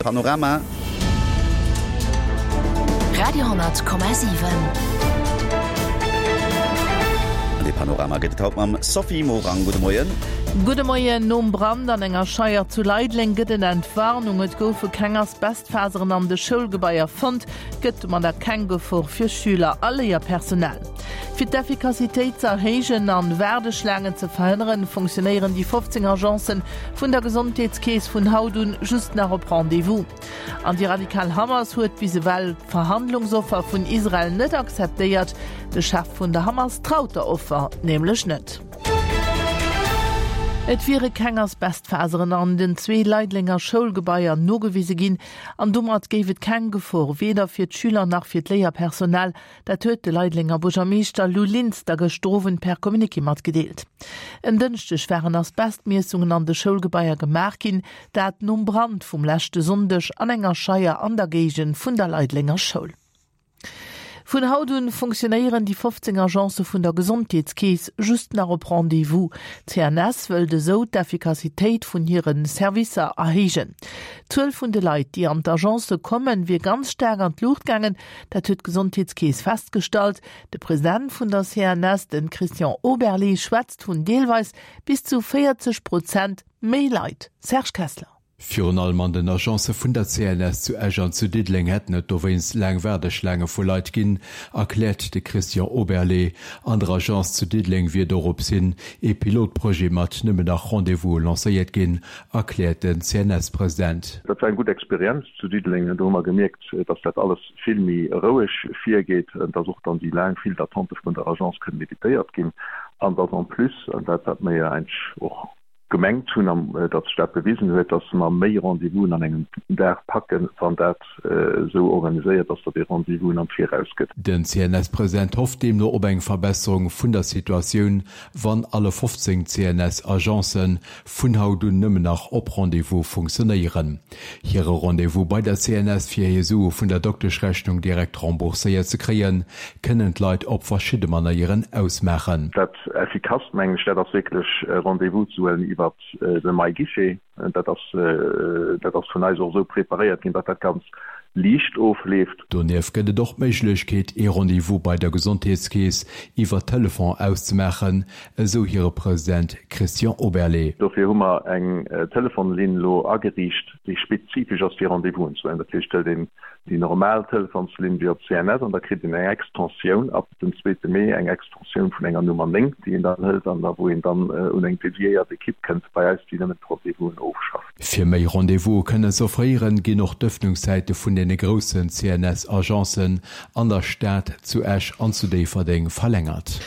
Panorama. Radio,7. An dee Panorama gëtt et haut mam Sophie Morang. Gudde Moien. Gudde Moien. Nom Brand an enger Scheier zu Leideleng gëtt et Entwarnung. Et goufe keng Asbestfaseren an de Schoulgebaier fonnt. Et gëtt domadder keng Gefor fir Schüler a Léierpersonal. Fir d'Effikassitéit ze erhéijen an Waardeschlaangen ze verhënneren, funktionéieren déi 15 Agencen vun der Gesondheetskeess vun haut un just nach op Rendez-vous. An déi radikal Hamas huet bis ewell d'Verhandlungsoffer vun Israel net akzeptéiert. De Chef vun der Hamas traut der Offer nämlech net. Et wiere keng Asbestfaseren an den zwee Leidlenger Schoulgebaier nogewise ginn an domat géif et keng Gefor weder fir d'Schüler nach fir d'Léierpersonal Dat huet de Leidlenger Buergermeeschter Lou Linster gëschter Owend per Communiqué matgedeelt. En Dënschdeg waren Asbestmiessungen an de Schoulgebaier gemaach ginn, dat nom Brand vum leschte Sonndeg an enger Scheier an der Géigend vun der Leidlenger Schoul. Vun haut un funktionéieren déi 15 Agencë vun der Gesondheetskeess just nach op Rendez-vous. D'CNS wëllt esou d'Effikassitéit vun hire Servicer erhéijen. D'Zuel vun de Leit, déi an d'Agencë kommen, wier ganz staark an d'Luucht gaangen. Dat huet d'Gesondheetskeess festgestallt. De President vun der CNS, de Christian Oberlé, schwätzt vun deelweis bis zu 40 Prozent méi Leit. Serge Kessler. Virun allem an den Agencë vun der CNS zu Esch an zu Diddeleng hätten et dowéinst laang Waardeschlaange vu Leit ginn, erkläert de Christian Oberlé. An der Agence zu Diddeleng wier dorops hin ee Pilotprojet mat nëmmen nach Rendez-vouse lancéiert ginn, erkläert den CNS-President. Dat war eng gutt Experienz zu Diddeleng. Do hu mer gemierkt, dass dat alles vill méi roueg virgeet, dass och dann déi laang File d'attente vun der Agence kënnen evitéiert ginn an dass en plus, an dat wat mer jo eigentlech och gemengt hunn an datt sech dat bewisen huet, dass mer méi Rendez-vousen an engem Dag packen, wann dat esou organiséiert ass, datt ee Rendez-vousen am Viraus gëtt. Den CNS-President hofft deemno op eng Verbesserung vun der Situatioun, wann alle 15 CNS-Agencen vun haut un nëmmen nach op Rendez-vous funktionéieren. Hire Rendez-vous bei der CNS fir hir Sue vun der Dokteschrechnung direkt rembourséiert ze kréien, kënnen d'Leit op verschidde Manéieren ausmaachen. Dat effikasst, mengen ech, dat ass wierklech Rendez-vous ze huelen iwwert de MyGuichet. Dat ass, dat ass vun eis och esou preparéiert ginn, datt dat ganz liicht ofleeft. Donieft gëtt et och d'Méiglechkeet, ee Rendez-vous bei der Gesondheetskeess iwwer Telefon auszemaachen, esou hire President Christian Oberlé. Dofir hu mer eng Telefonlinn elo ageriicht, déi spezifesch ass fir Rendez-vousen ze huelen. Dat heescht, et hëlt een déi normal Telefonslinn wéi op CNS an da kritt een eng Extensioun ab dem zweete Mee, eng Extensioun vun enger Nummer 9, déi een dann hëlt an da wou een dann un eng dediéiert Ekipp kënnt bei eis, déi nëmmen d'Rendez-vousen ofschafft. Fir méi Rendez-vouse kënnen z'offréieren, ginn och d'Ëffnungszäite vun deene groussen CNS-Agencen an der Stad, zu Esch an zu Déifferdeng verlängert.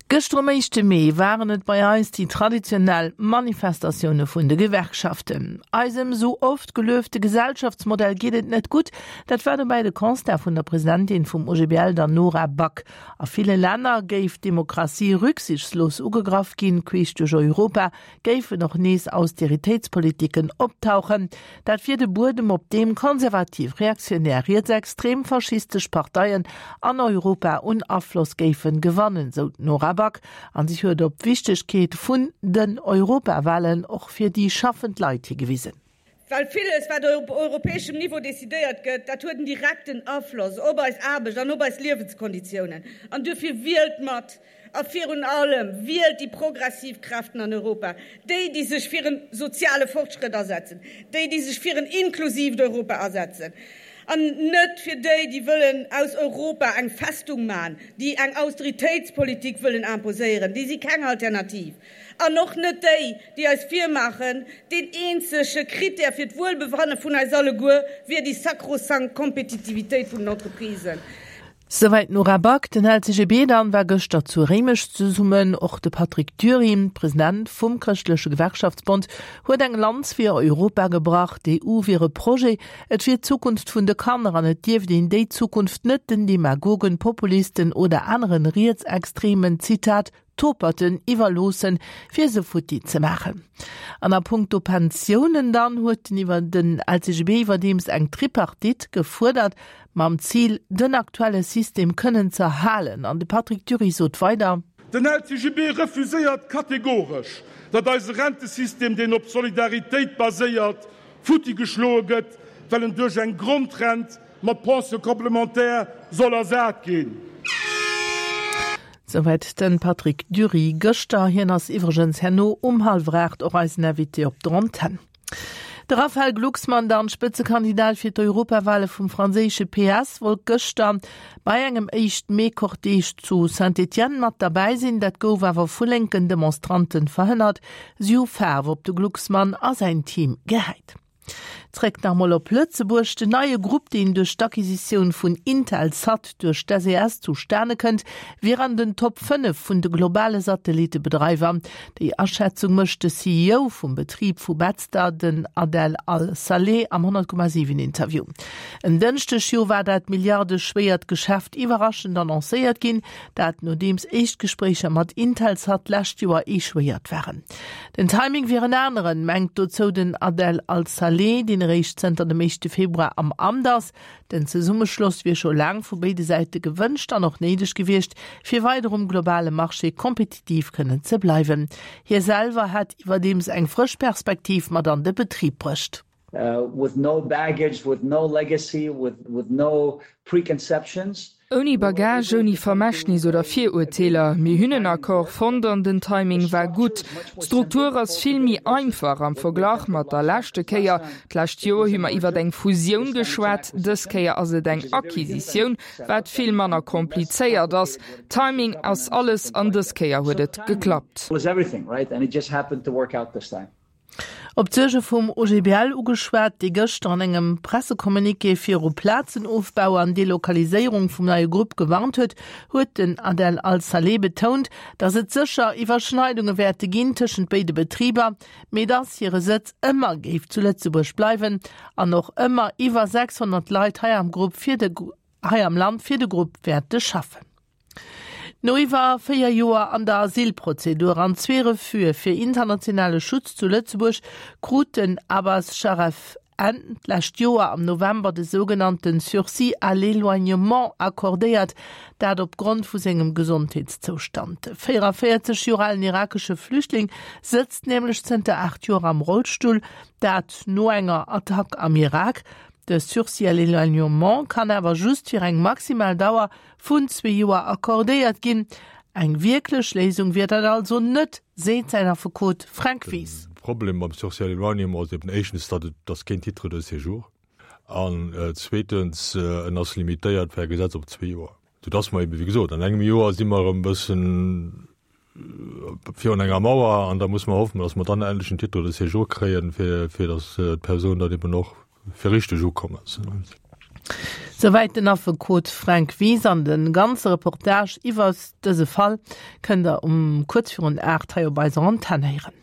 Gëschter um éischte Mee waren et bei eis déi traditionell Manifestatioune vun de Gewerkschaften. Eisem sou oft geluefte Gesellschaftsmodell geet et net gutt. Dat war dobäi de Constat vun der Presidentin vum OGBL, der Nora Back. A ville Länner géif d'Demokratie rücksichtslos ugegraff ginn, queesch duerch Europa géifen och nees Austeritéitspolitiken optauchen. Dat wier de Buedem, op deem konservativ, reaktionär, rietsextrem, faschistesch Parteien an Europa un Afloss géifen gewannen, sou d'Nora Back. An si huet op d'Wichtegkeet vun den Europawahlen och fir déi schaffend Leit higewisen. Well villes, wat op europäeschem Niveau decidéiert gëtt, dat huet en direkten Afloss op eis Aarbecht an op eis Liewenskonditiounen. An duerfir wielt mat! A virun allem wielt déi progressiv Kräften an Europa, déi, déi sech fir en soziale Fortschrëtt asetzen, déi, déi sech fir en inklusiivt Europa asetzen, an net fir déi, déi wëllen aus Europa eng Festung maachen, déi eng Austeritéitspolitik wëllen imposéieren. Déi si keng Alternativ. An och net déi, déi eis virmaachen, deen eenzege Critère fir d'Wuelbefanne vun eis alleguer wier déi sakrosankt Kompetitivitéit vun den Entreprisen. Souwäit d'Nora Back. Den LCGB dann war gëschter zu Réimech zesummen. Och de Patrick Dury, President vum Chrëschtleche Gewerkschaftsbond, huet eng Lanz fir Europa gebrach. D'EU wier e Projet, et wier d'Zukunft vun de Kanner an et dierft een déi Zukunft net den Demagogen, Populisten oder aneren Rietsextremen, Zitat, Toperten iwwerloossen, fir se futti ze maachen. An a punkto Pensiounen dann huet den iwwer den LCGB iwwerdeems eng Tripartite gefuerdert, mam Zil, den aktuelle System kënnen z'erhalen. An de Patrick Dury sot weider. Den LCGB refuséiert kategoresch, datt eise Rentesystem, deen op Solidaritéit baséiert, futti geschloe gëtt. Well en duerch eng Grondrent mat Pension complémentaire soll ersat ginn. Souwäit de Patrick Dury gëschter. Hien ass iwwregens herno um hallwer 8 och eisen Invité op der Antenn. De Raphaël Glucksmann, dann Spëtzekandidat fir d'Europawale vum franséische PS, wollt gëschter bei engem éischt Mee-Cortège zu Saint-Étienne mat derbäi sinn. Dat gouf awer vu lénken Demonstranten verhënnert. Si hu Faarf op de Glucksmann a säin Team gehäit. Zréck nach mol op Lëtzebuerg. Den neie Grupp, deen duerch d'Acquisitioun vun Intelsat duerch d'SES zustane kënnt, wier an den Top 5 vun de globale Satellittebedreiwer. Déi Aschätzung mécht de CEO vum Betrib vu Betzder, den Adel Al-Saleh, am 100,7 Interview. En Dënschdeg jo war dat milliardeschwéiert Geschäft iwwerraschend annoncéiert ginn, dat nodeems éischt Gespréicher mat Intelsat d'lescht Joer echouéiert waren. Den Timing wier en aneren, mengt dozou den Adel Al-Saleh, deen eréischt zënter dem éischte Februar am Amt ass. Den Zesummeschloss wier scho laang vu béide Säite gewënscht an och néideg gewiescht, fir weider um globale Marché kompetitiv kënnen ze bleiwen. Hie selwer hätt iwwerdeems eng frësch Perspektiv mat an de Betrib bruecht. With no baggage, with no legacy, with with no preconceptions. Ouni Bagage, ouni Vermächtnis oder Virurteeler. Mir hunn en Accord fonnt an den Timing war gutt. D'Struktur ass vill méi einfach am Verglach mat der leschte Kéier. D'lescht Joer hu mer iwwert eng Fusioun geschwat, dës Kéier ass et eng Acquisitioun, wat vill manner komplizéiert ass. Timing ass alles an dës Kéier huet et geklappt. Op d'Suerge vum OGBL ugeschwat, dee gëschter an engem Pressecommuniqué viru Plazenofbau an Delokaliséierung vum neie Grupp gewarnt huet, huet den Adel Al-Saleh betount, datt et sécher Iwwerschneidunge wäerte ginn tëschent béide Betriber, mee datt hire Sëtz ëmmer géif zu Lëtzebuerg bleiwen an och ëmmer iwwer 600 Leit hei am Grupp fir de hei am Land fir de Grupp wäerte schaffen. No iwwer 4 Joer an der Asylprozedur an zwee Refuse fir internationale Schutz zu Lëtzebuerg krut den Abbas Sharef Enn d'lescht Joer am November de sougenannte Sursis à l'éloignement accordéiert, dat op Grond vu sengem Gesondheetszoustand. De 44 Joer alen irakesche Flüchtling sëtzt nämlech zënter 8 Joer am Rollstull, dat no enger Attack am Irak. De Sursis à l'éloignement kann awer just fir eng maximal Dauer vun zwee Joer accordéiert ginn. Eng wierklech Léisung wier dat also net, seet säin Affekot Fränk Wies. De Problem mam Sursis à l'éloignement ass eben éischtens, datt et ass keen Titre de séjour an zweetens, en ass limitéiert per Gesetz op zwee Joer, soudass mer eben, wéi gesot, an engem Joer si mer erëm e bëssen virun enger Mauer an da muss mer hoffen, datt mer dann endlech en Titre de séjour kréien, fir, fir datt d'Persoun dann eben och fir richteg ukomm ass. Souwäit den Affekot Fränk Wies an de ganze Reportage iwwert dëse Fall kënnt der um kuerz virun 8 hei op eiser Antenn héieren.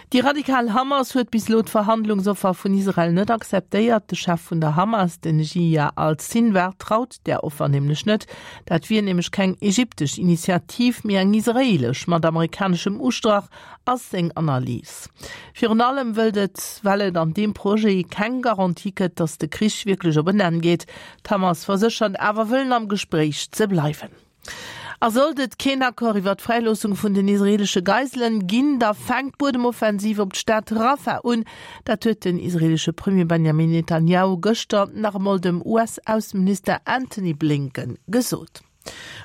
Déi radikal Hamas huet bis elo d'Verhandlungsoffer vun Israel net akzeptéiert. De Chef vun der Hamas, den Yihya al-Sinwar, traut där Offer nämlech net. Dat wier nämlech keng ägyptesch Initiativ, mee eng israeelesch mat amerikaneschem Ustrach, ass seng Analys. Virun allem wëllt et, well et an deem Projet keng Garantie gëtt, datt de Krich wierklech op en Enn geet. D'Hamas verséchert awer wëllen am Gespréich ze bleiwen. A sollt et keen Accord iwwer d'Fräiloossung vun den israeelesche Geiselen ginn, da fänkt d'Buedemoffensiv op d'Stad Rafah un. Dat huet den israeelesche Premier Benjamin Netanjahu gëschter nach emol dem US-Ausseminister Antony Blinken gesot.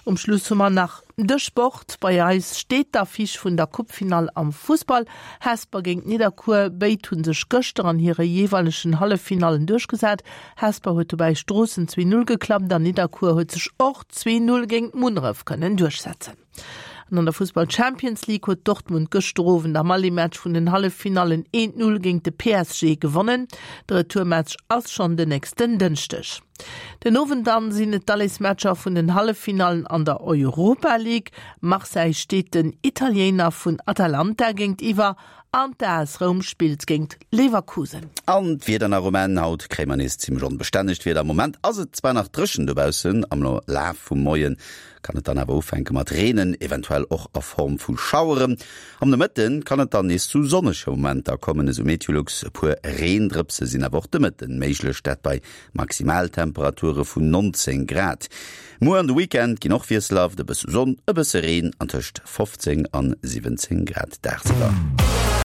Um Schluss hu mer nach de Sport. Bei eis steet d'Affiche vun der Coupefinall am Fussball. Hesper géint Nidderkuer. Béid hu sech gëschter an hire jeeweilegen Halleffinallen duerchgesat. Hesper huet dobäi Stroossen 2, 0 geklappt an Nidderkuer huet sech och 2, 0 géint Munneref kënnen duerchsetzen. An an der Fussball Champions League huet Dortmund gëschter Owend am Aller-Match vun den Halleffinallen 1, 0 géint de PSG gewonnen. De Retourmatch ass schonn den nächsten Dënschdeg. Den Owend dann sinn et d'Allesmatcher vun den Halleffinallen an der Europa League. Marseille steet den Italiener vun Atalanta géintiwwer An d'AS Roum spillt géingt Leverkusen. An d'Wieder nach um Enn, Haut kréie mer nees zimmlech onbestännegt Wieder. Am Moment ass et zwar nach dréchen dobaussen, am Laf vum Moie kann et dann awer ufänke mat reenen, eventuell och a Form vu Schaueren. Am Nomëtte kann et dann nees zu sonnege Momenter kommen, esou Meteolux. E puer Reendrëpse sinn awer och de Mëtten méiglech, dat bei Maximaltemperature vun 19 Grad. Muer an de Weekend ginn och wiesselhaft, e bësse Sonn, e bësse Reen an tëscht 15 an 17 Grad dagsiwwer.